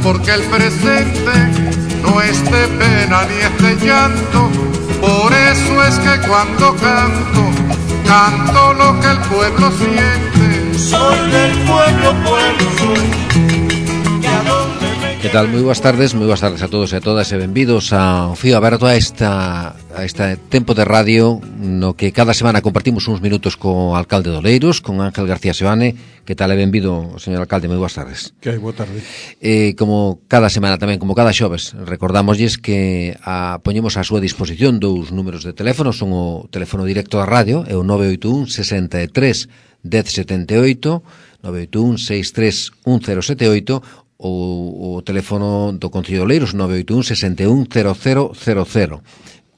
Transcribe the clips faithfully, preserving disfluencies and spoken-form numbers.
porque el presente no es de pena ni es de llanto. Por eso es que cuando canto, canto lo que el pueblo siente. Soy del pueblo, pueblo soy. Que tal? Moi boas tardes, moi boas tardes a todos e a todas e benvidos ao Fío Aberto, a esta a este tempo de radio no que cada semana compartimos uns minutos co alcalde de Oleiros, con Ángel García Seoane. Que tal e benvido, señor alcalde, moi boas tardes. Que hai, boa tarde. Eh, como cada semana tamén, como cada xoves, recordamosles que a, poñemos a súa disposición dous números de teléfono, son o teléfono directo da radio, é o nove oito un, sesenta e tres, dez setenta e oito, nove oito un, sesenta e tres, un cero sete oito, ou o teléfono do Concello de Oleiros nove oito un, sesenta e un, cero cero cero cero.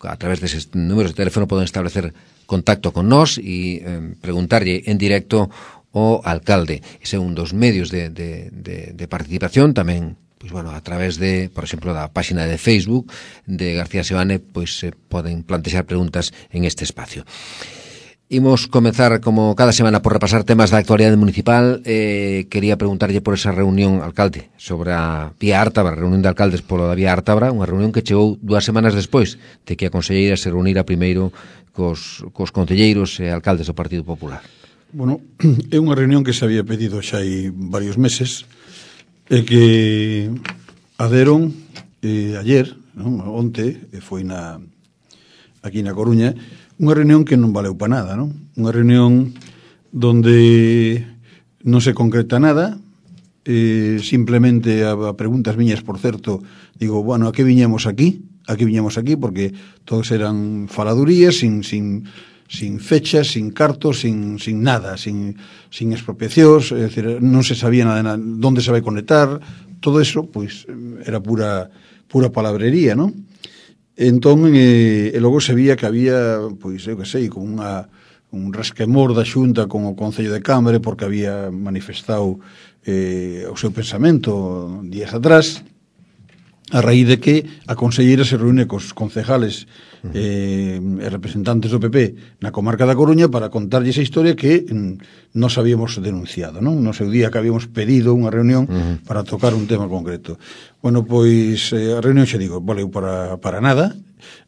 A través deses números de teléfono poden establecer contacto con nós e eh, preguntarlle en directo ao alcalde. Ese é un dos medios de, de, de, de participación. Tamén, pois, bueno, a través de, por exemplo, da páxina de Facebook de García Seoane, pois se poden plantexar preguntas en este espacio. Imos comezar, como cada semana, por repasar temas da actualidade municipal. Eh, quería preguntarlle por esa reunión, alcalde, sobre a Vía Ártabra, a reunión de alcaldes polo da Vía Ártabra, unha reunión que chegou dúas semanas despois de que a conselleira se reunira primeiro cos, cos concelleiros e alcaldes do Partido Popular. Bueno, é unha reunión que se había pedido xa hai varios meses e que aderon eh, ayer, non? Onte, e foi na aquí na Coruña, unha reunión que non valeu para nada, non? Unha reunión donde non se concreta nada, eh, simplemente a, a preguntas miñas, por certo, digo, bueno, a que viñemos aquí? A que viñemos aquí? Porque todos eran faladurías, sin, sin, sin fechas, sin cartos, sin, sin nada, sin, sin expropiacións, é dicir, non se sabía nada, onde se vai conectar, todo eso, pois, era pura, pura palabrería, non? Entón, eh, e logo se vía que había, pois, eu que sei, con unha, un resquemor da Xunta con o Concello de Cambre, porque había manifestado eh, o seu pensamento días atrás, a raíz de que a conselleira se reúne cos concejales eh, e representantes do P P na comarca da Coruña para contarlle esa historia que mm, nos habíamos denunciado, non? No seu día que habíamos pedido unha reunión uh-huh. para tocar un tema concreto. Bueno, pois eh, a reunión, xa digo, valeu para, para nada.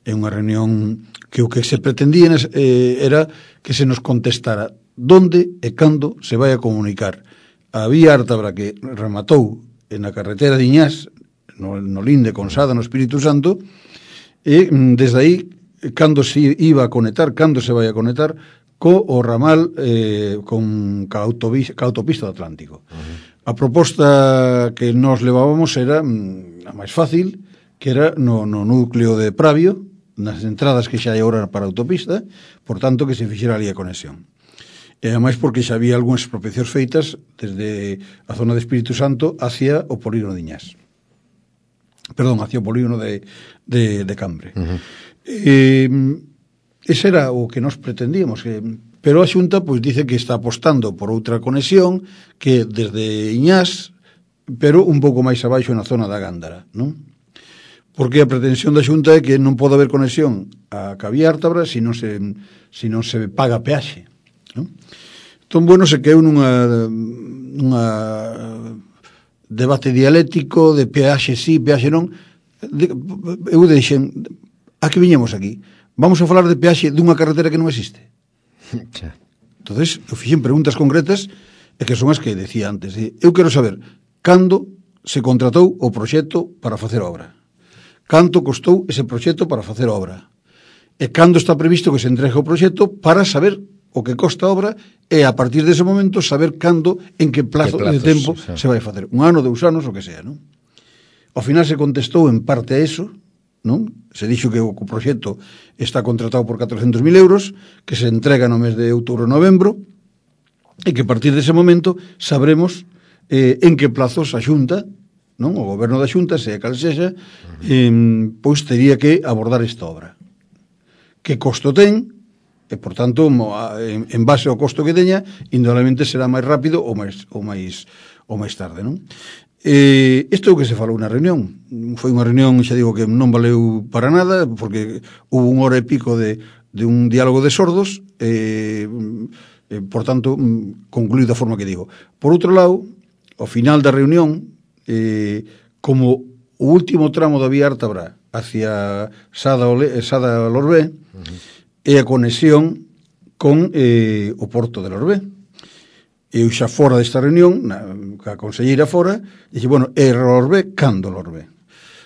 É unha reunión que o que se pretendía eh, era que se nos contestara donde e cando se vai a comunicar a Vía Ártabra que rematou na carretera de Iñás, no, no Linde con Sada, no Espírito Santo, e desde aí cando se iba a conectar, cando se vai a conectar co o ramal eh, con ca, autopista, ca autopista do Atlántico. Uh-huh. A proposta que nos levábamos era mm, a máis fácil, que era no, no núcleo de Pravio, nas entradas que xa hai agora para a autopista, por tanto que se fixera ali a conexión. E ademais porque xa había algunhas expropiacións feitas desde a zona de Espírito Santo hacia o polígono de Iñás. Perdón, hacia o polígono de, de, de Cambre. Uh-huh. Eh, ese era o que nos pretendíamos, que, pero a Xunta pois dice que está apostando por outra conexión que desde Iñás, pero un pouco máis abaixo na zona da Gándara, non? Porque a pretensión da Xunta é que non pode haber conexión a Vía Ártabra se non se, se non se paga peaxe, non? Entón, bueno, se quedou nunha nunha debate dialéctico de peaxe sí, peaxe non. De, eu deixen, a que viñemos aquí? Vamos a falar de peaxe dunha carretera que non existe? Entonces, eu fixen preguntas concretas e que son as que decía antes. Eu quero saber cando se contratou o proxecto para facer obra, canto costou ese proxecto para facer obra, e cando está previsto que se entregue o proxecto para saber o que costa a obra e a partir dese momento saber cando, en que plazo que plazos, de tempo o sea, se vai facer. Un ano, dous anos, o que sea, non? Ao final se contestou en parte a eso, non? Se dixo que o proxecto está contratado por catrocentos mil euros, que se entrega no mes de outubro e novembro, e que a partir dese momento sabremos eh, en que plazos a Xunta, non? O goberno da Xunta, sea cal sexa, eh, pois tería que abordar esta obra. Que costo ten? E, por tanto, en base ao costo que teña, indudablemente será máis rápido ou máis, ou máis, ou máis tarde, non? Eh, isto é o que se falou na reunión. Foi unha reunión, xa digo, que non valeu para nada, porque hubo unha hora e pico de, de un diálogo de sordos, eh, eh, por tanto, concluído da forma que digo. Por outro lado, ao final da reunión, eh, como o último tramo da vía Ártabra hacia Sada, Ole, Sada Lorbé, uh-huh, e a conexión con eh, o Porto de Lorbé. Eu xa fora desta reunión, na, a conselleira fora, dixe, bueno, é Lorbé, cando Lorbé?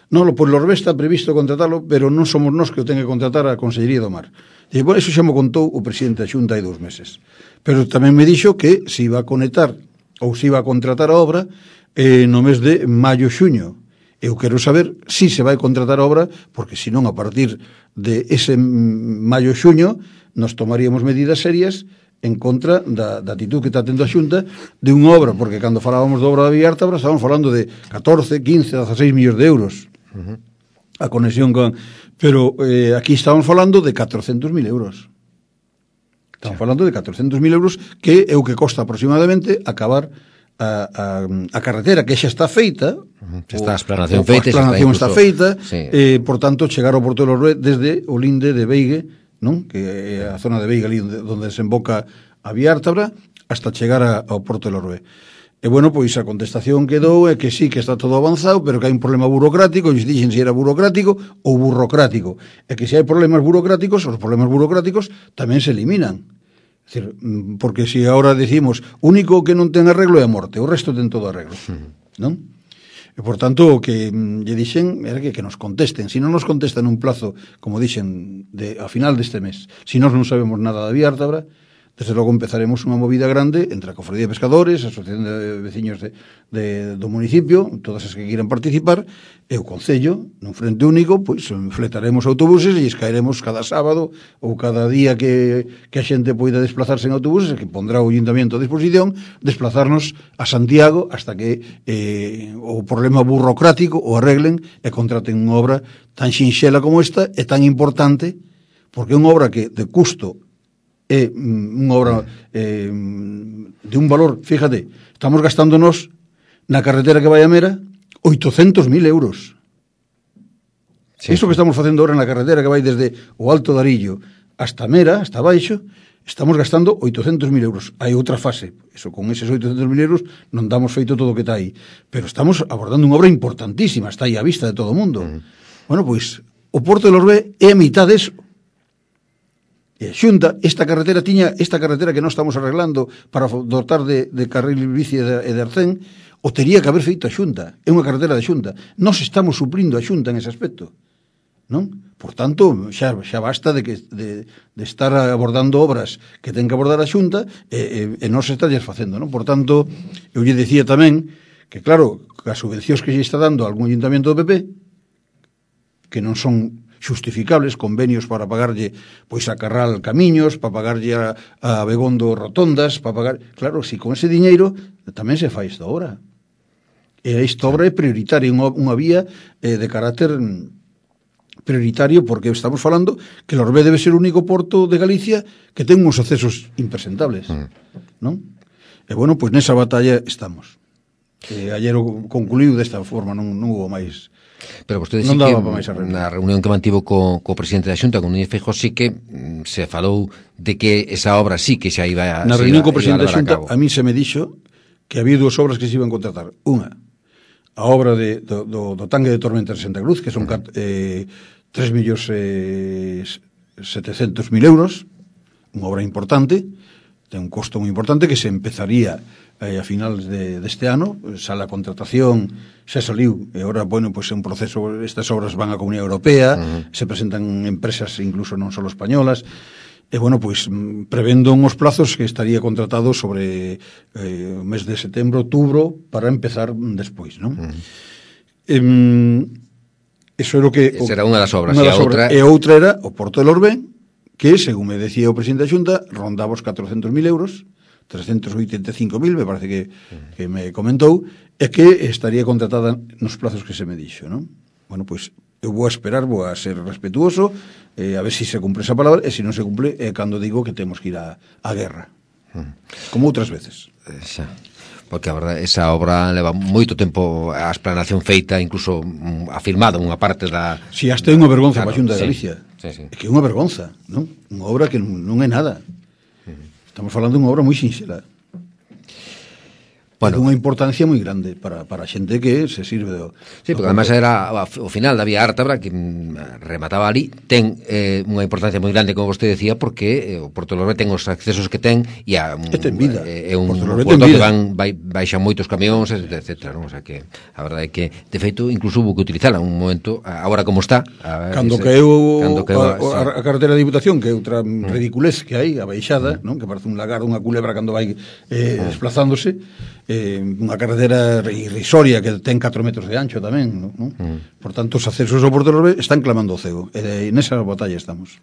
Non, pois Lorbé está previsto contratalo, pero non somos nós que o ten que contratar a Consellería do Mar. Dixe, bueno, eso xa me contou o presidente da Xunta hai dous meses. Pero tamén me dixo que se iba a conectar ou se iba a contratar a obra eh, no mes de maio-xuño. Eu quero saber si se vai contratar a obra, porque senón a partir de ese maio-xuño nos tomaríamos medidas serias en contra da, da actitud que está tendo a Xunta de unha obra, porque cando falábamos da obra da vía Ártabra estábamos falando de catorce, quince, dezaseis millóns de euros, uh-huh, a conexión con... Pero eh, aquí estamos falando de catrocentos mil euros. Estamos sí. falando de catrocentos mil euros, que é o que costa aproximadamente acabar a, a, a carretera, que xa está feita, uh-huh, está a explanación feita, a explanación está, incluso... feita, sí. eh, por tanto, chegar ao Porto de Lorbé desde o linde de Beigue, non? Que é a zona de Beiga ali onde, onde desemboca a vía Ártabra hasta chegar a, ao Porto de Lorbé. E bueno, pois a contestación que dou é que sí, que está todo avanzado, pero que hai un problema burocrático, e dixen se era burocrático ou burocrático. E que se hai problemas burocráticos, os problemas burocráticos tamén se eliminan. É dicir, porque se agora decimos, único que non ten arreglo é a morte, o resto ten todo arreglo, non? E, por tanto, o que lle dixen era que, que nos contesten. Se non nos contestan un plazo, como dixen, de, a final deste mes, se nós non sabemos nada da vía Ártabra, desde logo empezaremos unha movida grande entre a Cofradía de Pescadores, a Asociación de Veciños de, de, do municipio, todas as que queiran participar, e o Concello, nun frente único, pois fletaremos autobuses e escaeremos cada sábado ou cada día que, que a xente poida desplazarse en autobuses, que pondrá o Ayuntamiento a disposición, desplazarnos a Santiago hasta que eh, o problema burocrático o arreglen e contraten unha obra tan xinxela como esta e tan importante, porque é unha obra que de custo é unha obra eh, de un valor, fíjate, estamos gastándonos na carretera que vai a Mera oitocentos mil euros. Sí. Iso que estamos facendo ahora na carretera que vai desde o Alto de Arillo hasta Mera, hasta baixo, estamos gastando oitocentos mil euros. Hai outra fase, eso, con eses oitocentos mil euros non damos feito todo o que está aí, pero estamos abordando unha obra importantísima, está aí a vista de todo o mundo. Uh-huh. Bueno, pois, o Porto de Lorbé é a mitad deso. E a Xunta, esta carretera tiña, esta carretera que nós estamos arreglando para dotar de, de carril bici e de, de arcén, o tería que haber feito a Xunta. É unha carretera de Xunta. Nós estamos suplindo a Xunta en ese aspecto, non? Por tanto, xa, xa basta de, que, de, de estar abordando obras que ten que abordar a Xunta e, e, e non se está facendo, non? Por tanto, eu lle decía tamén que, claro, as subvencións que lle está dando algún ayuntamiento do P P, que non son xustificables, convenios para pagarlle pois a Carral Camiños, para pagarlle a, a Begondo Rotondas, para pagar... Claro, si con ese diñeiro tamén se fai esta obra. E esta obra é prioritaria, unha, unha vía eh, de carácter prioritario, porque estamos falando que Lorbé debe ser o único porto de Galicia que ten uns accesos impresentables, mm. non? E bueno, pois nesa batalla estamos. E ayer concluíu desta forma, non, non hubo máis... Pero vostede sí que na reunión que mantivo co, co presidente da Xunta, con Núñez Feijóo, sí que mm, se falou de que esa obra sí que xa iba a... Na reunión co presidente da Xunta, a, a mí se me dixo que había dúas obras que se iban a contratar. Unha, a obra de, do, do, do tanque de Tormenta de Santa Cruz, que son uh-huh. eh, tres millóns setecentos mil euros, unha obra importante, ten un costo moi importante, que se empezaría eh, a finales de, deste ano, xa a contratación xa saliu, e agora, bueno, pois pues, é un proceso, estas obras van á Comunidade Europea, uh-huh. se presentan empresas incluso non só españolas, e, bueno, pois, pues, prevendo uns plazos que estaría contratado sobre eh, o mes de setembro, outubro, para empezar despois, non? Uh-huh. Eh, eso era o que... Esa era unha das obras, unha das e, obras outra... e outra era o Porto de Lorbé, que, según me decía o presidente da Xunta, rondaba os catrocentos mil euros, trescentos oitenta e cinco mil, me parece que, que me comentou, e que estaría contratada nos plazos que se me dixo, non? Bueno, pois, eu vou a esperar, vou a ser respetuoso, eh, a ver se si se cumpre esa palabra, e se non se cumple, é eh, cando digo que temos que ir a, a guerra. Como outras veces. Xa. Porque a verdade, esa obra leva moito tempo a explanación feita, incluso mm, afirmada unha parte da... Si, hasta é unha vergonza claro, para a Xunta de Galicia. Sí, sí, sí. É que é unha vergonza, non? Unha obra que non, non é nada. Estamos falando de unha obra moi sinxela. bueno, unha importancia moi grande para, para a xente que se sirve do... Sí, porque además era o final da vía Ártabra que remataba ali, ten eh, unha importancia moi grande, como vostede decía, porque eh, o Porto Lorbe ten os accesos que ten e a, um, ten vida. É eh, un porto que van, vai, baixan moitos camións, etcétera, non? O sea que a verdade é que, de feito, incluso hubo que utilizala un momento, agora como está, a, cando ese, caeu cando caeu a, a, a carretera de Diputación, que é outra mm. ridiculez que hai, a baixada, mm. non? Que parece un lagar, unha culebra cando vai eh, mm. desplazándose, eh, unha carretera irrisoria que ten catro metros de ancho tamén, non? Mm. Por tanto, os accesos ao Porto Lorbe están clamando o cego, e nesa batalla estamos.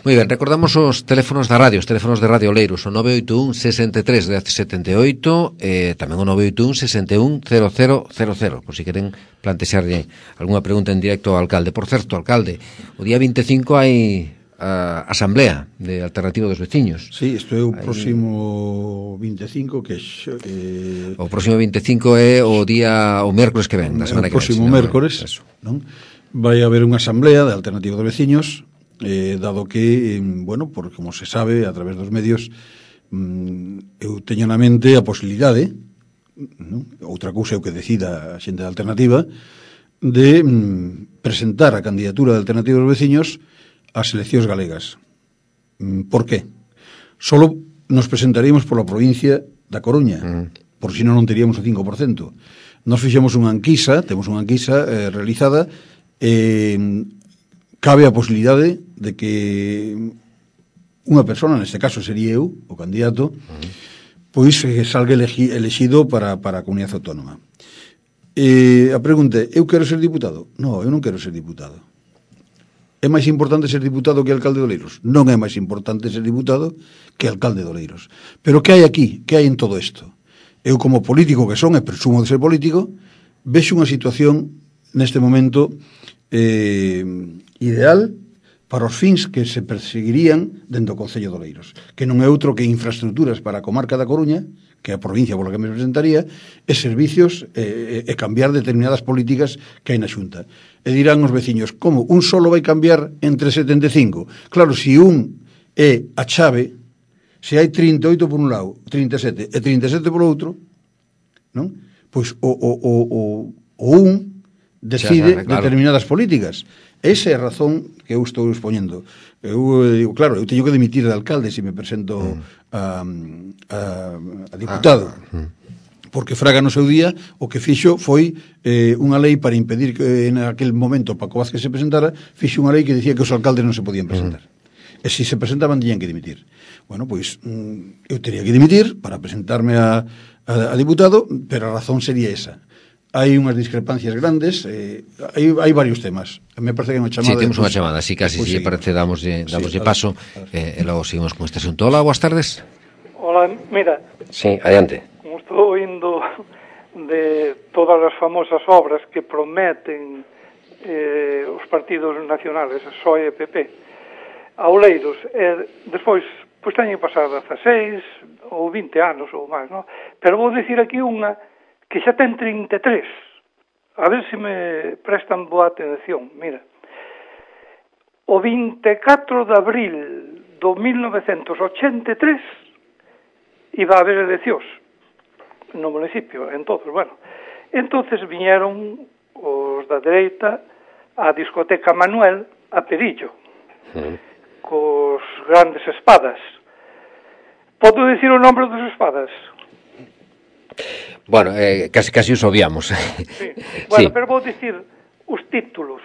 Moi ben, recordamos os teléfonos da radio, os teléfonos de Radio Oleiros, o nove oito un, sesenta e tres, dez setenta e oito, e tamén o nove oito un, sesenta e un, cero cero cero cero, por si queren plantexarlle algunha pregunta en directo ao alcalde. Por certo, alcalde, o día vinte e cinco hai a asamblea de Alternativa dos Veciños. Sí, isto é o próximo vinte e cinco, que eh, o próximo vinte e cinco é o día o mércores que ven, na semana que ven. O próximo mércores, non? Vai haber unha asamblea de Alternativa dos Veciños, eh, dado que, eh, bueno, por como se sabe a través dos medios, mm, eu teño na mente a posibilidade, non? Outra cousa é o que decida a xente da Alternativa, de mm, presentar a candidatura de Alternativa dos Veciños ás eleccións galegas. Por qué? Solo nos presentaríamos pola provincia da Coruña, mm. por si non non teríamos o cinco por cento. Nos fixemos unha enquisa, temos unha enquisa eh, realizada, eh, cabe a posibilidade de que unha persona, neste caso sería eu, o candidato, mm. pois eh, salga elegi, elegido para, para a comunidade autónoma. Eh, a pregunta é, eu quero ser diputado? Non, eu non quero ser diputado. É máis importante ser diputado que alcalde de Oleiros? Non é máis importante ser diputado que alcalde de Oleiros. Pero que hai aquí? Que hai en todo isto? Eu, como político que son, e presumo de ser político, vexo unha situación neste momento eh, ideal para os fins que se perseguirían dentro do Concello de Oleiros, que non é outro que infraestructuras para a comarca da Coruña, que é a provincia pola que me presentaría, e servicios e, e cambiar determinadas políticas que hai na Xunta. E dirán os veciños, como un solo vai cambiar entre setenta e cinco? Claro, se un é a chave, se hai trinta e oito por un lado, trinta e sete e trinta e sete por outro, non? Pois o, o, o, o, o un decide sabe, claro, determinadas políticas. Esa é a razón que eu estou expoñendo. Eu digo, claro, eu teño que dimitir de alcalde se me presento mm. a, a, a diputado. Ah, mm. Porque Fraga no seu día o que fixo foi eh, unha lei para impedir que en aquel momento Paco Vázquez se presentara, fixo unha lei que dicía que os alcaldes non se podían presentar. Mm. E se se presentaban, tenían que dimitir. Bueno, pois mm, eu teria que dimitir para presentarme a, a, a diputado, pero a razón sería esa. Hai unhas discrepancias grandes, eh, hai, hai varios temas. Me parece que hai unha chamada... Sí, temos unha chamada, así casi, si pues, parece, damoslle, damoslle sí, paso, eh, e logo seguimos con este asunto. Hola, boas tardes. Hola, mira. Sí, adiante. Como estou indo de todas as famosas obras que prometen eh, os partidos nacionales, P S O E e P P, a Oleiros, e despois, pois teñen pasado dezaseis ou vinte anos ou máis, non? Pero vou dicir aquí unha que xa ten trinta e tres. A ver se me prestan boa atención. Mira, o vinte e catro de abril do mil novecentos ochenta e tres iba a haber eleccións no municipio, en todos, bueno. Entonces viñeron os da dereita á discoteca Manuel a Perillo, sí, cos grandes espadas. Podo dicir o nombre dos espadas? Bueno, eh, casi casi os obviamos. Sí. Bueno, sí, pero vou dicir os títulos.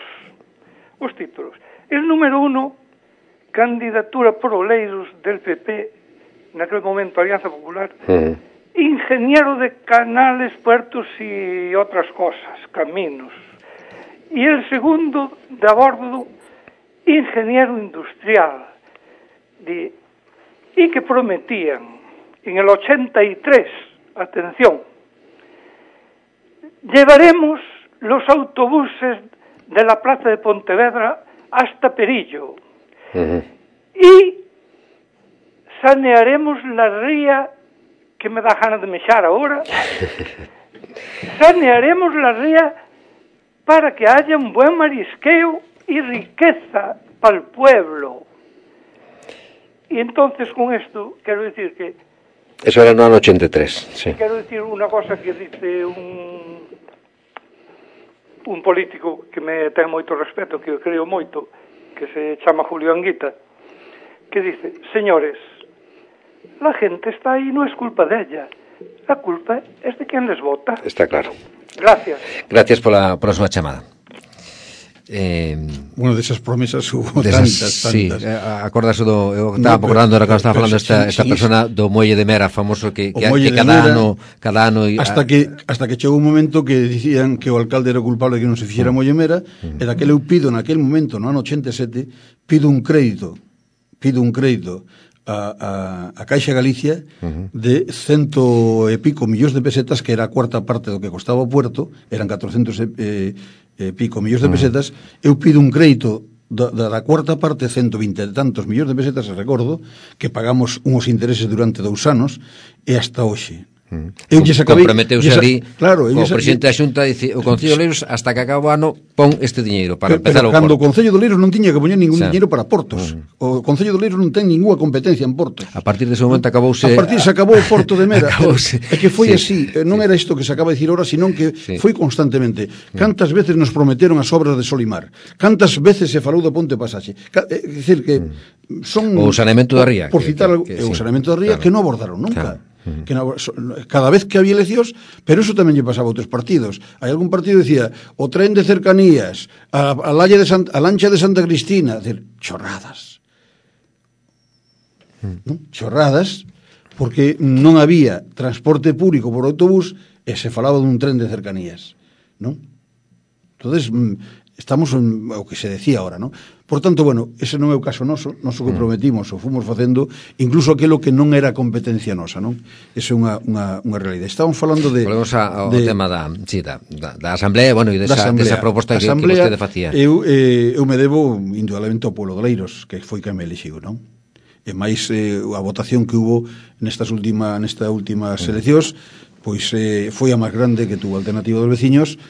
Os títulos. El número uno, candidatura por Oleiros del P P, naquele momento Alianza Popular, uh-huh, ingeniero de canales, puertos y otras cosas, caminos. Y el segundo, de a bordo, ingeniero industrial. De, y que prometían en el ochenta y tres, atención, llevaremos los autobuses de la plaza de Pontevedra hasta Perillo, uh-huh, y sanearemos la ría, que me da ganas de mexar ahora, sanearemos la ría para que haya un buen marisqueo y riqueza para el pueblo. Y entonces con esto quiero decir que Eso era no ano ochenta e tres, sí. Quero dicir unha cosa que dice un un político que me ten moito respeto, que eu creo moito, que se chama Julio Anguita, que dice: señores, la gente está aí, non es culpa de ella, la culpa es de quen les vota. Está claro. Gracias. Gracias pola, pola súa chamada. Eh, bueno, desas promesas hubo desas, tantas, tantas. Sí, acordase do, eu estaba no, acordando ahora que estaba falando esta, esta persona do Muelle de Mera, famoso que, que, que cada Mera, ano cada ano hasta que hasta que chegou un momento que dicían que o alcalde era culpable de que non se fixera uh, Muelle Mera, uh, e daquele eu pido naquel momento, no ano ochenta e sete, pido un crédito, pido un crédito a, a, a Caixa Galicia uh-huh. de cento e pico millóns de pesetas, que era a cuarta parte do que costaba o puerto, eran catrocentos e, eh, e pico millóns de pesetas, uh-huh. eu pido un crédito da, da, da cuarta parte, ciento vinte e tantos millóns de pesetas, recordo, que pagamos uns intereses durante dous anos, e hasta hoxe. Mm. Eu lle acabei, comprometeuse ali, claro, o presidente da Xunta dice, o Concello de Oleiros hasta que acaba o ano pon este diñeiro para pero, empezar pero o cando porto. o Concello de Oleiros non tiña que poñer ningún diñeiro para portos. Mm. O Concello de Oleiros non ten ninguna competencia en portos. A partir dese momento acabouse A partir se acabou o Porto de Mera. É que foi sí, así, non sí. era isto que se acaba de dicir ahora, senón que sí. foi constantemente. Cantas veces nos prometeron as obras de Solimar? Cantas veces se falou do Ponte Pasaxe? É dicir que son o saneamento da ría, por citar algo, o saneamento da ría que non abordaron nunca. Que no, cada vez que había eleccións, pero eso tamén lle pasaba a outros partidos. Hai algún partido que decía o tren de cercanías, a, a, lalle de San, a lancha de Santa Cristina, decir, chorradas. Mm. ¿No? Chorradas, porque non había transporte público por autobús e se falaba dun tren de cercanías, non? Entonces, estamos en o que se decía ahora, non? Por tanto, bueno, ese non é o caso noso, noso que prometimos, o fomos facendo, incluso aquilo que non era competencia nosa, non? Esa é unha, unha, unha realidade. Estamos falando de... Volvemos ao de, tema da, sí, da, da, da Asamblea, bueno, e desa, desa proposta que, asamblea, que vostede facía. Eu, eh, eu me debo, indudablemente, ao pueblo de Oleiros, que foi que me elixiu, non? E máis eh, a votación que hubo nestas última, nesta últimas eleccións, pois eh, foi a máis grande que tuvo a Alternativa dos Veciños.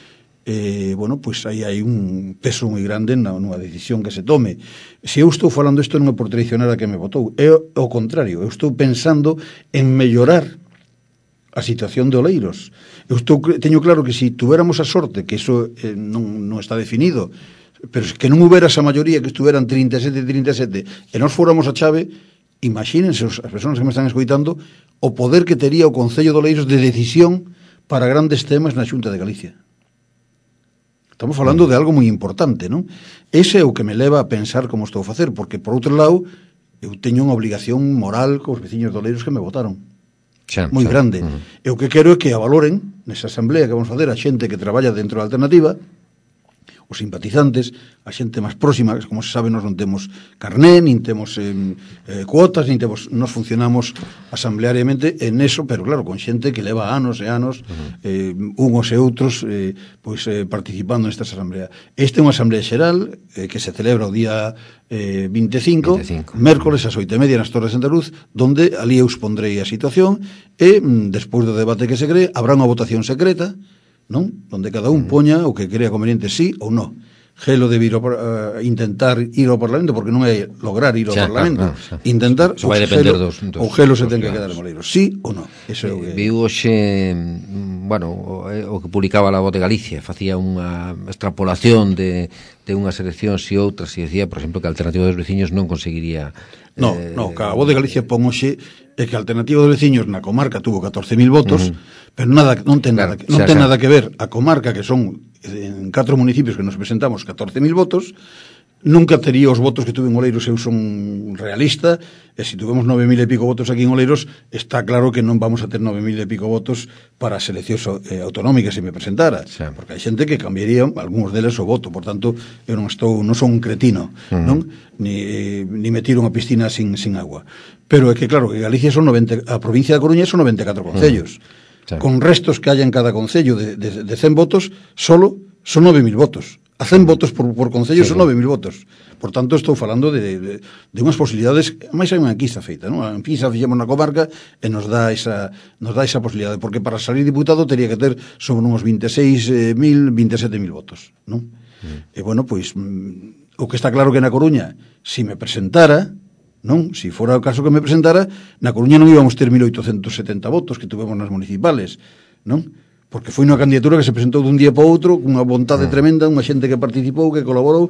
Eh, bueno, pois aí hai un peso moi grande na, nunha decisión que se tome. Se eu estou falando isto non é por traicionar a que me votou, é o contrario, eu estou pensando en mellorar a situación de Oleiros. Eu estou, teño claro que se tuveramos a sorte, que iso eh, non, non está definido, pero que non houbera esa maioría, que estuveran trinta e sete trinta e sete, e nós fóramos a chave, imagínense as persoas que me están escoitando o poder que tería o Concello de Oleiros de decisión para grandes temas na Xunta de Galicia. Estamos falando de algo moi importante, non? Ese é o que me leva a pensar como estou a facer, porque, por outro lado, eu teño unha obligación moral cos veciños de Oleiros que me votaron. Xa, moi xa. grande. Uh-huh. E o que quero é que a valoren, nesa asamblea que vamos facer, a xente que traballa dentro da Alternativa, os simpatizantes, a xente máis próxima, como se sabe, nós non temos carné, nin temos eh, eh, cuotas, nin temos, nós funcionamos asambleariamente en eso, pero claro, con xente que leva anos e anos, uh-huh. eh, unhos e outros, eh, pois eh, participando nesta asamblea. Esta é unha asamblea xeral eh, que se celebra o día eh, vinte e cinco, vinte e cinco, mércoles ás oito e media nas Torres de Santa Luz, donde ali eu expondrei a situación e, mm, despois do debate que se cree, habrá unha votación secreta, non? Donde cada un poña o que crea conveniente sí ou no. Gelo debe ir ao, uh, intentar ir ao Parlamento, porque non é lograr ir ao xa, Parlamento. Claro, claro, intentar o Gelo, dos, dos, o Gelo se dos ten que quedar en Oleiros. Sí ou no? Eso é o que... Viu hoxe, bueno, o, o que publicaba a Voz de Galicia, facía unha extrapolación de, de unhas eleccións e outras, e decía, por exemplo, que a Alternativa dos Veciños non conseguiría... No, eh, no, que a Voz de Galicia pon hoxe é que a Alternativa dos Veciños na comarca tuvo catorce mil votos, uh-huh. pero nada, non ten, claro, nada, non xa, ten xa. nada que ver a comarca, que son en catro municipios que nos presentamos catorce mil votos, nunca tería os votos que tuve en Oleiros, eu son realista, e se tuvemos nove mil e pico votos aquí en Oleiros, está claro que non vamos a ter nove mil e pico votos para as eleccións eh, autonómicas se me presentara, sí. porque hai xente que cambiaría algúns deles o voto, por tanto, eu non estou, non son un cretino, uh-huh. non? Ni, ni me tiro unha piscina sin, sin agua. Pero é que, claro, que Galicia son noventa, a provincia da Coruña son noventa e catro concellos. Uh-huh. Sí. Con restos que haya en cada concello de, de, de cen votos, solo son nove mil votos. A cen votos por, por concello sí, son nove mil votos. Por tanto, estou falando de, de, de unhas posibilidades, máis hai unha enquisa feita, non? A enquisa fixemos na comarca e nos dá esa, nos dá esa posibilidade, porque para salir diputado teria que ter sobre uns vinte e seis mil, vinte e sete mil votos, non? Mm. E, bueno, pois, o que está claro que na Coruña, se me presentara, non? Si fora o caso que me presentara, na Coruña non íbamos ter mil oitocentos setenta votos que tuvemos nas municipales, non? Porque foi unha candidatura que se presentou dun día para outro, cunha vontade mm. tremenda, unha xente que participou, que colaborou,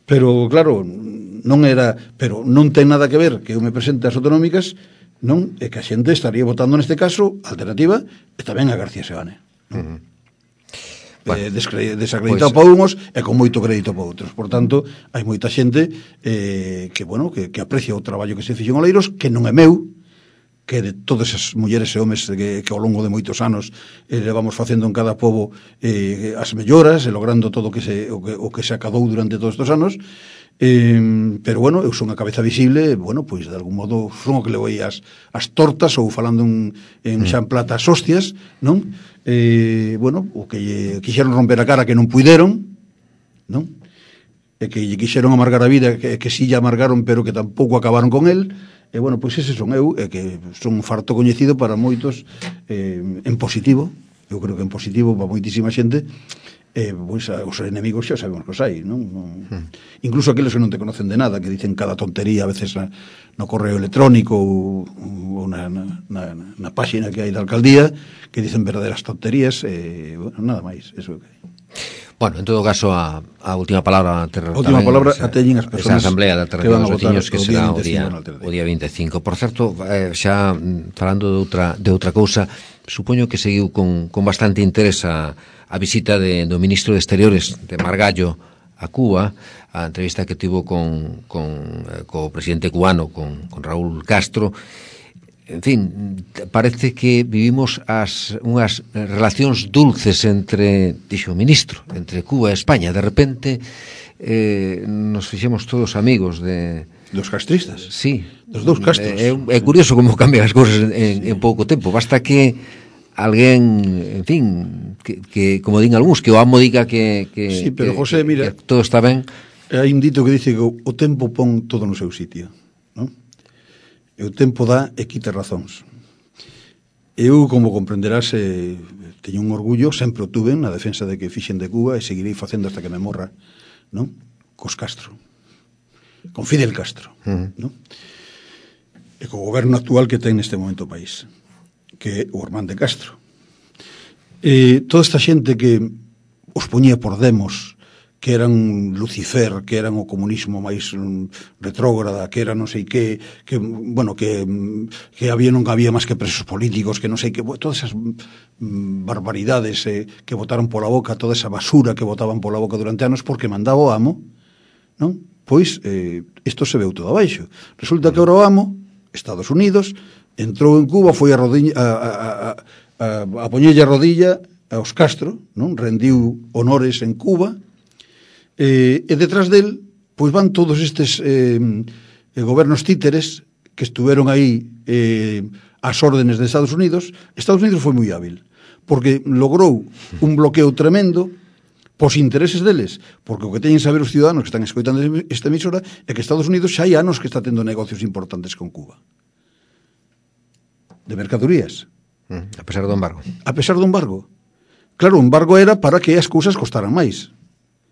pero claro, non era, pero non ten nada que ver que eu me presente ás autonómicas, non? E que a xente estaría votando neste caso Alternativa e tamén a García Seoane, non? Mm. Bueno, eh, desacreditado pues, para unhos e con moito crédito para outros. Por tanto, hai moita xente eh, que, bueno, que, que aprecia o traballo que se fixo en Oleiros, que non é meu, que de todas as mulleres e homes que, que ao longo de moitos anos eh, levamos facendo en cada pobo eh, as melloras e logrando todo o que se, o que, o que se acadou durante todos estes anos. Eh, pero bueno, eu son a cabeza visible, bueno, pois de algún modo son o que le voi as, as tortas ou falando en, en xa en plata as hostias, non? Eh, bueno, o que lle quixeron romper a cara que non puideron, non? E que lle quixeron amargar a vida, que, que si lle amargaron pero que tampouco acabaron con el. E bueno, pois ese son eu, e que son un farto coñecido para moitos eh, en positivo, eu creo que en positivo para moitísima xente. Eh, pois a, os enemigos xa sabemos que os hai, non? non hmm. Incluso aqueles que non te conocen de nada, que dicen cada tontería a veces na, no correo electrónico ou, ou na, na, na, na páxina que hai da alcaldía, que dicen verdaderas tonterías, eh, bueno, nada máis, eso que hai. Bueno, en todo caso, a, a última palabra a última palabra a teñen as persoas esa asamblea de Alternativa dos Veciños que será o día, o día vinte e cinco. Por certo, eh, xa falando de outra, de outra cousa, supoño que seguiu con, con bastante interés a a visita de, do ministro de Exteriores de Margallo a Cuba, a entrevista que tivo con, con eh, co presidente cubano, con, con Raúl Castro. En fin, parece que vivimos as unhas relacións dulces entre, dixo o ministro, entre Cuba e España. De repente eh, nos fixemos todos amigos de... Dos castristas? Sí. Dos dous castros. É, é curioso como cambian as cousas en, en pouco tempo. Basta que alguén, en fin, que, que como din algúns, que o amo diga que, que, sí, pero que, José, mira, que todo está ben. Hai un dito que dice que o tempo pon todo no seu sitio, non? E o tempo dá e quita razóns. Eu, como comprenderás, eh, teño un orgullo, sempre o tuve na defensa de que fixen de Cuba e seguirei facendo hasta que me morra, non? Cos Castro. Con Fidel Castro, uh-huh. non? E co goberno actual que ten neste momento o país, que é o Ormán de Castro. E toda esta xente que os poñía por demos, que eran Lucifer, que eran o comunismo máis um, retrógrada, que era non sei que, que bueno, que, que había non había máis que presos políticos, que non sei que, todas esas um, barbaridades eh, que botaron pola boca, toda esa basura que botaban pola boca durante anos porque mandaba o amo, non? Pois eh, isto se veu todo abaixo. Resulta que ahora o amo, Estados Unidos, entrou en Cuba, foi a rodilla a, a, a, a, a poñelle a rodilla aos Castro, non? Rendiu honores en Cuba, eh, e detrás del pois van todos estes eh, eh, gobernos títeres que estuveron aí eh, ás órdenes de Estados Unidos. Estados Unidos foi moi hábil, porque logrou un bloqueo tremendo pos intereses deles, porque o que teñen saber os ciudadanos que están escoitando esta emisora é que Estados Unidos xa hai anos que está tendo negocios importantes con Cuba. De mercadorías. A pesar do embargo. A pesar do embargo. Claro, o embargo era para que as cousas costaran máis,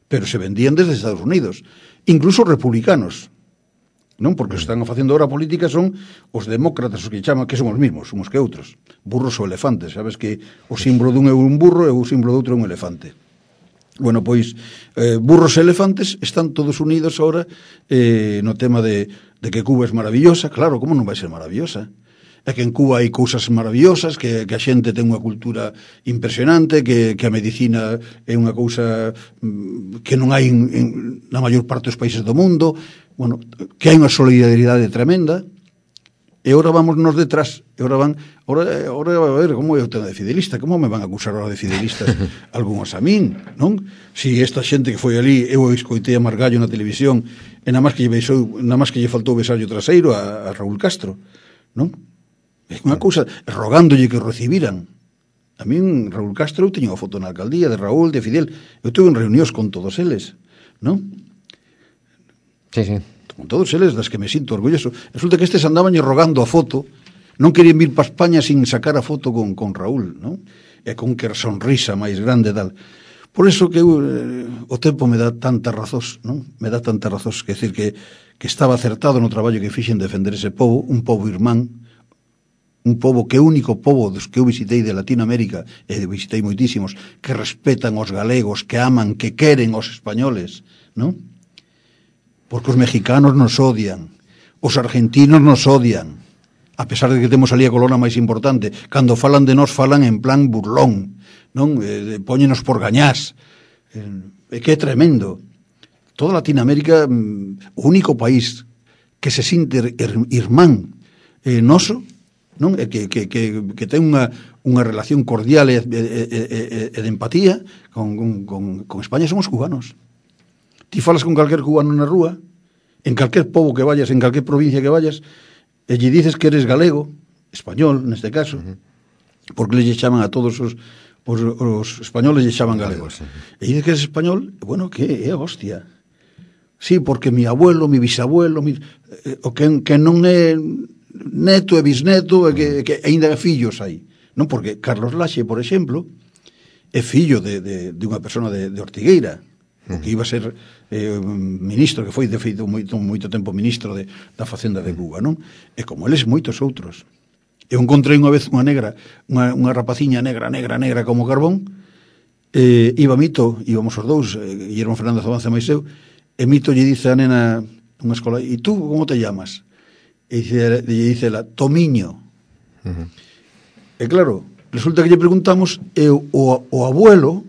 pero se vendían desde Estados Unidos, incluso republicanos, non? Porque os que están facendo ahora a política son os demócratas, os que chaman, que son os mismos, uns que outros, burros ou elefantes. Sabes que o símbolo dun é un burro e o símbolo do outro é un elefante. Bueno, pois, eh, burros e elefantes están todos unidos ahora eh, no tema de, de que Cuba é maravillosa. Claro, como non vai ser maravillosa? É que en Cuba hai cousas maravillosas, que, que a xente ten unha cultura impresionante, que, que a medicina é unha cousa que non hai en, en, na maior parte dos países do mundo, bueno, que hai unha solidaridade tremenda, e ora vamos nos detrás, e ora van, ora, ora a ver, como é o tema de fidelista, como me van a acusar ahora de fidelistas algúns a min, non? Si esta xente que foi ali, eu escoitei a Margallo na televisión, e nada máis que lle besou, nada máis que lle faltou besarlle o traseiro a, a Raúl Castro, non? É unha cousa, rogándolle que o recibiran. A min, Raúl Castro, eu teño unha foto na alcaldía de Raúl, de Fidel, eu tuve en reunións con todos eles, non? Sí, sí. Con todos eles, das que me sinto orgulloso. Resulta que estes andaban rogando a foto, non querían vir para España sin sacar a foto con, con Raúl, non? E con que sonrisa máis grande tal. Por eso que eu, eh, o tempo me dá tantas razóns, non? Me dá tantas razóns, que decir que, que estaba acertado no traballo que fixen defender ese povo, un povo irmán, un povo que é o único povo dos que eu visitei de Latinoamérica, e visitei moitísimos, que respetan os galegos, que aman, que queren os españoles, non? Porque os mexicanos nos odian, os argentinos nos odian, a pesar de que temos ali a colona máis importante. Cando falan de nós, falan en plan burlón, non? Eh, póñenos por gañás. Eh, que é tremendo. Toda Latinoamérica, o único país que se sinte irmán eh, noso, non? E que, que, que, que ten unha, unha relación cordial e, e, e, e de empatía con, con, con España, son os cubanos. Ti falas con calquer cubano na rúa, en calquer pobo que vayas, en calquer provincia que vayas, e lle dices que eres galego, español, neste caso, uh-huh. porque lle chaman a todos os, os, os españoles lle chaman galegos. Uh-huh. E dices que eres español, bueno, que é hostia. Sí, porque mi abuelo, mi bisabuelo, mi, eh, o que, que non é neto e bisneto, e que, que ainda é fillos aí. Non, porque Carlos Laxe, por exemplo, é fillo de, de, de unha persona de, de Ortigueira, uh-huh. que iba a ser eh, ministro, que foi de feito moito, moito tempo ministro de, da Facenda de Cuba, non? E como eles moitos outros. Eu encontrei unha vez unha negra, unha, unha rapaciña negra, negra, negra como carbón, eh, iba Mito, íbamos os dous, eh, Guillermo Fernández Avance máis eu, e Mito lle dice a nena unha escola, e tú como te llamas? E lle dice ela, Tomiño. Uh-huh. E claro, resulta que lle preguntamos, e o, o abuelo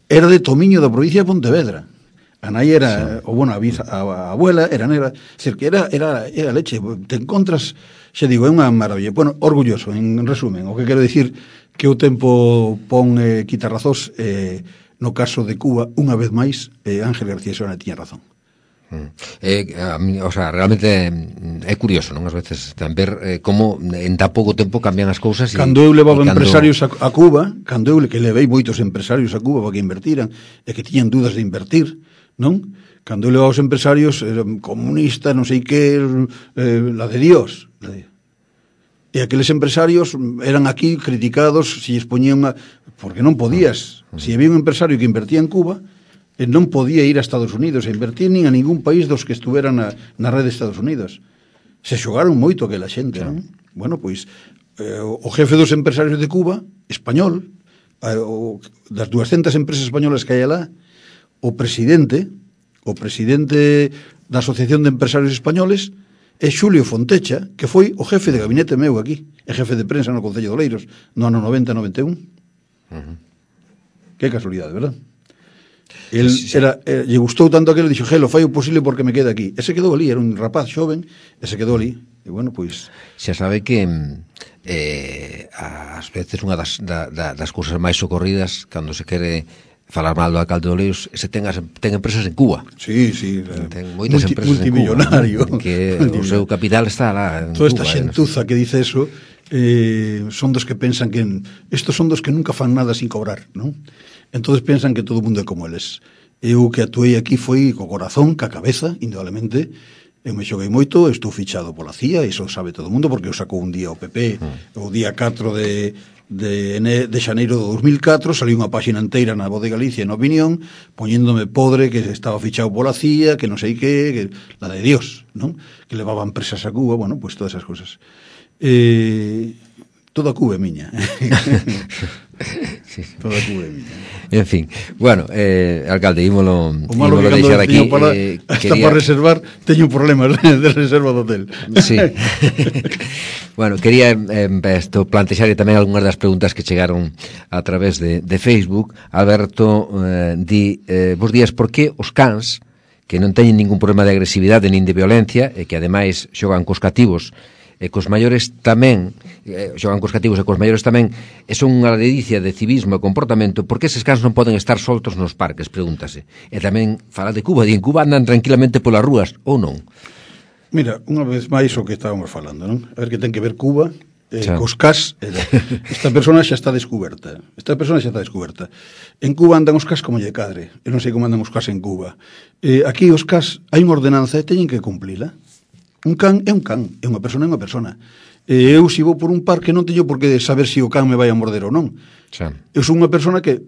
era de Tomiño, da provincia de Pontevedra. A nai era, sí. o bueno, a, a, a abuela era negra, decir, que era, era, era leche. Te encontras, xa digo, é unha maravilla. Bueno, orgulloso, en resumen, o que quero dicir que o tempo pon eh, quita razóns, eh, no caso de Cuba, unha vez máis, eh, Ángel García Sona tiña razón. Eh, a mí, o sea, realmente é curioso, non? As veces tan ver eh, como en tan pouco tempo cambian as cousas. Cando eu levaba cando... empresarios a, a Cuba, cando eu que levei moitos empresarios a Cuba para que invertiran e que tiñan dudas de invertir, non? Cando eu levaba os empresarios, eran comunistas, non sei que, eh, la de Dios. La de... E aqueles empresarios eran aquí criticados se lles poñían a... porque non podías. Se había un empresario que invertía en Cuba, non podía ir a Estados Unidos a invertir nin a ningún país dos que estuveran na, na rede de Estados Unidos. Se xogaron moito aquela xente, non? Bueno, pois, eh, o jefe dos empresarios de Cuba, español, eh, o, das duascentas empresas españolas que hai alá, o presidente, o presidente da Asociación de Empresarios Españoles, é Xulio Fontecha, que foi o jefe de gabinete meu aquí, e jefe de prensa no Concello de Oleiros, no ano noventa noventa e un. Uh-huh. Que casualidade, verdad? El era, eh, lle gustou tanto aquilo, dixo, gelo, fai o posible porque me quede aquí. E se quedou ali, era un rapaz xoven, e se quedou ali. E bueno, pois... Xa sabe que eh, ás veces unha das, da, da, das cousas máis socorridas cando se quere falar mal do alcalde de Oleiros, se ten, as, ten empresas en Cuba. Sí, sí. Ten moitas multi, empresas multimillonario. En Cuba, que o seu capital está lá en Toda Cuba. Toda esta xentuza que dice eso eh, son dos que pensan que estos son dos que nunca fan nada sin cobrar, non? Entonces pensan que todo o mundo é como eles. Eu que atuei aquí foi co corazón, ca cabeza, indudablemente. Eu me xoguei moito, estou fichado pola C I A, iso sabe todo o mundo, porque eu sacou un día o P P, mm. o día catro de, de, de xaneiro do dos mil catro, saliu unha páxina inteira na Voz de Galicia en Opinión, poñéndome podre que estaba fichado pola C I A, que non sei que, que la de Dios, non? Que levaban presas a Cuba, bueno, pues todas esas cosas. Eh, toda Cuba é miña. Sí, sí. Toda Cuba é miña. En fin, bueno, eh, alcalde, ímolo, o malo ímolo que deixar aquí. Para, eh, hasta quería... para reservar, teño problemas de reserva do hotel. Sí. Bueno, quería eh, esto, plantexar tamén algunhas das preguntas que chegaron a través de, de Facebook. Alberto eh, di, eh, vos días, por que os cans, que non teñen ningún problema de agresividade nin de violencia, e que ademais xogan cos cativos, e cos maiores tamén, eh, xogan cos cativos e cos maiores tamén, e son unha ledicia de civismo e comportamento, por que eses cans non poden estar soltos nos parques, pregúntase. E tamén fala de Cuba, e en Cuba andan tranquilamente polas rúas, ou non? Mira, unha vez máis o que estábamos falando, non? A ver que ten que ver Cuba, eh, cos cas, eh, esta persona xa está descuberta, esta persona xa está descuberta. En Cuba andan os cas como lle cadre, eu non sei como andan os cas en Cuba. Eh, aquí os cas, hai unha ordenanza e teñen que cumplila. Un can é un can, é unha persona é unha persona. E eu, se vou por un parque, non teño por que saber se o can me vai a morder ou non. Xa. Eu sou unha persona que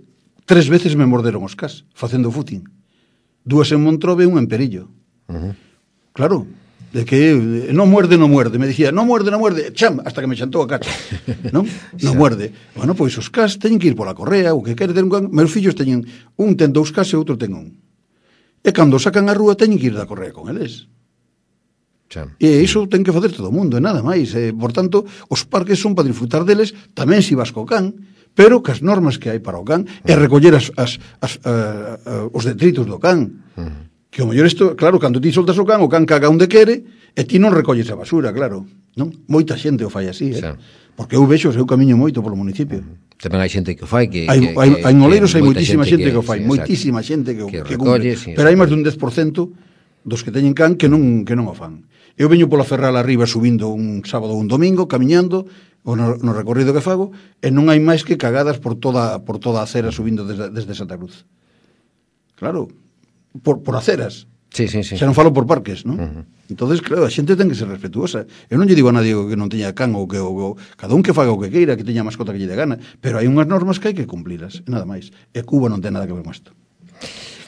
tres veces me morderon os cas, facendo footing. Dúas en Montrove e unha en Perillo. Uh-huh. Claro, de que non muerde, non muerde. Me dicía, non muerde, non muerde, cham, hasta que me chantou a cacha. Non? Non muerde. Bueno, pois os cas teñen que ir pola correa, o que quere ter un can. Meus fillos teñen, un ten dous cas e outro ten un. E cando sacan a rúa teñen que ir da correa con eles. Cham. E iso ten que facer todo o mundo, e nada máis. E, por tanto, os parques son para disfrutar deles, tamén si vas co can, pero cas normas que hai para o can é recoller as, as, as, a, a, os detritos do can. Uh-huh. Que o mellor isto, claro, cando ti soltas o can, o can caga onde quere, e ti non recolles a basura, claro, non? Moita xente o fai así, eh? Sí. Porque eu vexo, eu camiño moito polo municipio. Uh-huh. Tamén hai xente que o fai, que... Hai, que, hai, que hai Oleiros, hai moitísima xente que, que o fai, sí, moitísima xente que, que, que recolle, cumple, sí, pero hai máis dun dez por cento dos que teñen can que non, que non o fan. Eu veño pola Ferral arriba subindo un sábado ou un domingo, camiñando, o no, no recorrido que fago, e non hai máis que cagadas por toda, por toda a acera subindo desde, desde Santa Cruz. Claro, por, por aceras. Sí, sí, sí. Xa non falo por parques, non? Uh-huh. Entonces, claro, a xente ten que ser respetuosa. Eu non lle digo a nadie que non teña can ou que ou, cada un que faga o que queira, que teña mascota que lle dé gana, pero hai unhas normas que hai que cumplilas, e nada máis. E Cuba non ten nada que ver con isto.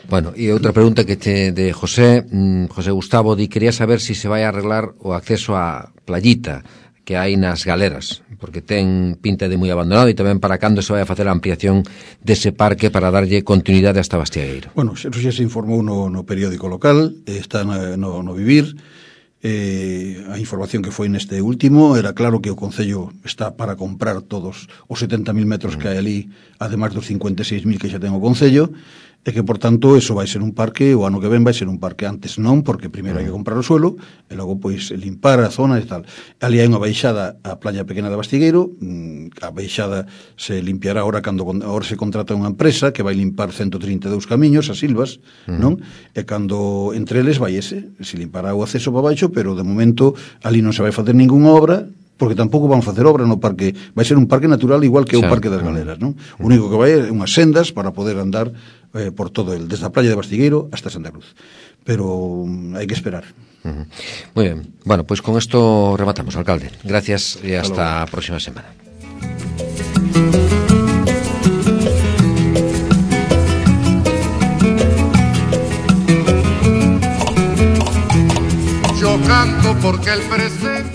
Bueno, e outra pregunta que te de José, mm, José Gustavo, di quería saber si se vai a arreglar o acceso á playita que hai nas galeras, porque ten pinta de moi abandonado, e tamén para cando se vai a facer a ampliación dese parque para darlle continuidade hasta Bastiagueiro. Bueno, eso xa se informou no, no periódico local, está no, no Vivir, eh, a información que foi neste último era claro que o Concello está para comprar todos os setenta mil metros que hai ali, ademais dos cincuenta e seis mil que xa ten o Concello, e que, por tanto, eso vai ser un parque, o ano que ven vai ser un parque, antes non, porque primeiro hai que comprar o suelo, e logo, pois, limpar a zona e tal. Ali hai unha baixada á playa pequena de Bastigueiro, a baixada se limpiará ahora cando ahora se contrata unha empresa que vai limpar ciento trinta e dous camiños, as silvas, uh-huh. non? E cando entre eles vai ese, se limpará o acceso para baixo, pero de momento ali non se vai facer ningunha obra, porque tampouco van facer obra no parque, vai ser un parque natural igual que o Parque das Galeras, non? O único que vai é unhas sendas para poder andar eh, por todo el, desde a playa de Bastigueiro hasta Santa Cruz. Pero um, hai que esperar. Uh-huh. Muy bien. Bueno, pues con esto rematamos, alcalde. Gracias y hasta, hasta la próxima semana. Yo canto porque el presente